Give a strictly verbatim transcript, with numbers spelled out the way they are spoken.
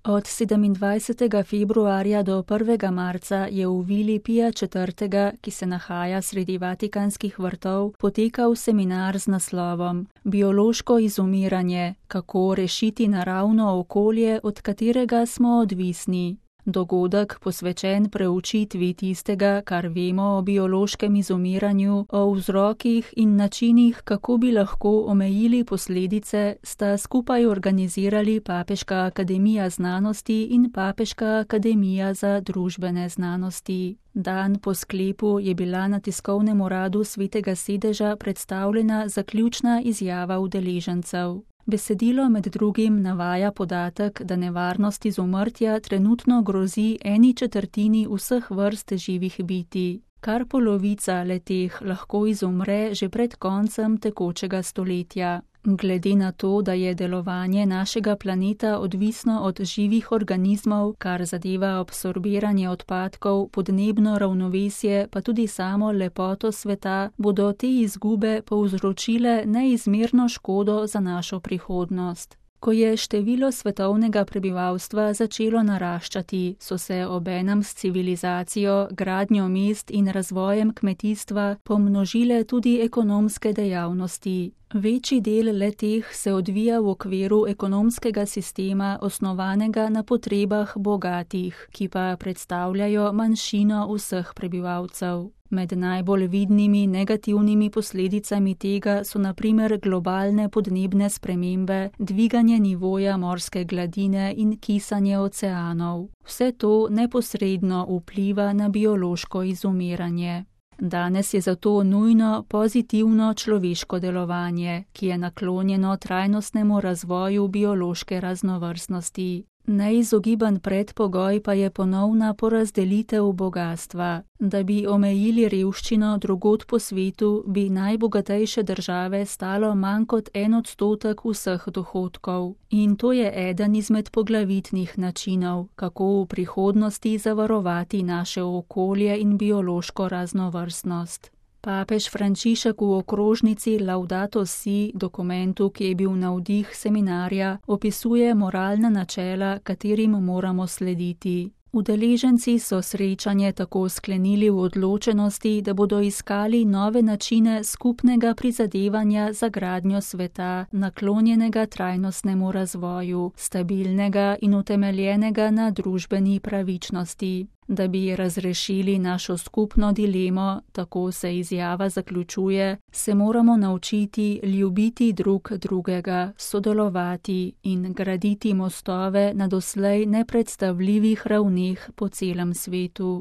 Od sedemindvajsetega februarja do prvega marca je v vili Pija četrtega, ki se nahaja sredi Vatikanskih vrtov, potekal seminar z naslovom Biološko izumiranje, kako rešiti naravno okolje, od katerega smo odvisni. Dogodek, posvečen preučitvi tistega, kar vemo o biološkem izumiranju, o vzrokih in načinih, kako bi lahko omejili posledice, sta skupaj organizirali Papeška akademija znanosti in Papeška akademija za družbene znanosti. Dan po sklepu je bila na tiskovnem uradu Svetega sedeža predstavljena zaključna izjava udeležencev. Besedilo med drugim navaja podatek, da nevarnost izumrtja trenutno grozi eni četrtini vseh vrst živih bitij. Kar polovica le-teh lahko izumre že pred koncem tekočega stoletja. Glede na to, da je delovanje našega planeta odvisno od živih organizmov, kar zadeva absorbiranje odpadkov, podnebno ravnovesje, pa tudi samo lepoto sveta, bodo te izgube povzročile neizmerno škodo za našo prihodnost. Ko je število svetovnega prebivalstva začelo naraščati, so se obenem s civilizacijo, gradnjo mest in razvojem kmetijstva pomnožile tudi ekonomske dejavnosti. Večji del le-teh se odvija v okviru ekonomskega sistema, osnovanega na potrebah bogatih, ki pa predstavljajo manjšino vseh prebivalcev. Med najbolj vidnimi negativnimi posledicami tega so na primer globalne podnebne spremembe, dviganje nivoja morske gladine in kisanje oceanov. Vse to neposredno vpliva na biološko izumiranje. Danes je zato nujno pozitivno človeško delovanje, ki je naklonjeno trajnostnemu razvoju biološke raznovrstnosti. Neizogiben predpogoj pa je ponovna porazdelitev bogastva. Da bi omejili revščino drugod po svetu, bi najbogatejše države stalo manj kot en odstotek vseh dohodkov. In to je eden izmed poglavitnih načinov, kako v prihodnosti zavarovati naše okolje in biološko raznovrstnost. Papež Frančišek v okrožnici Laudato Si, dokumentu, ki je bil navdih seminarja, opisuje moralna načela, katerim moramo slediti. Udeleženci so srečanje tako sklenili v odločenosti, da bodo iskali nove načine skupnega prizadevanja za gradnjo sveta, naklonjenega trajnostnemu razvoju, stabilnega in utemeljenega na družbeni pravičnosti. Da bi razrešili našo skupno dilemo, tako se izjava zaključuje, se moramo naučiti ljubiti drug drugega, sodelovati in graditi mostove na doslej nepredstavljivih ravneh po celem svetu.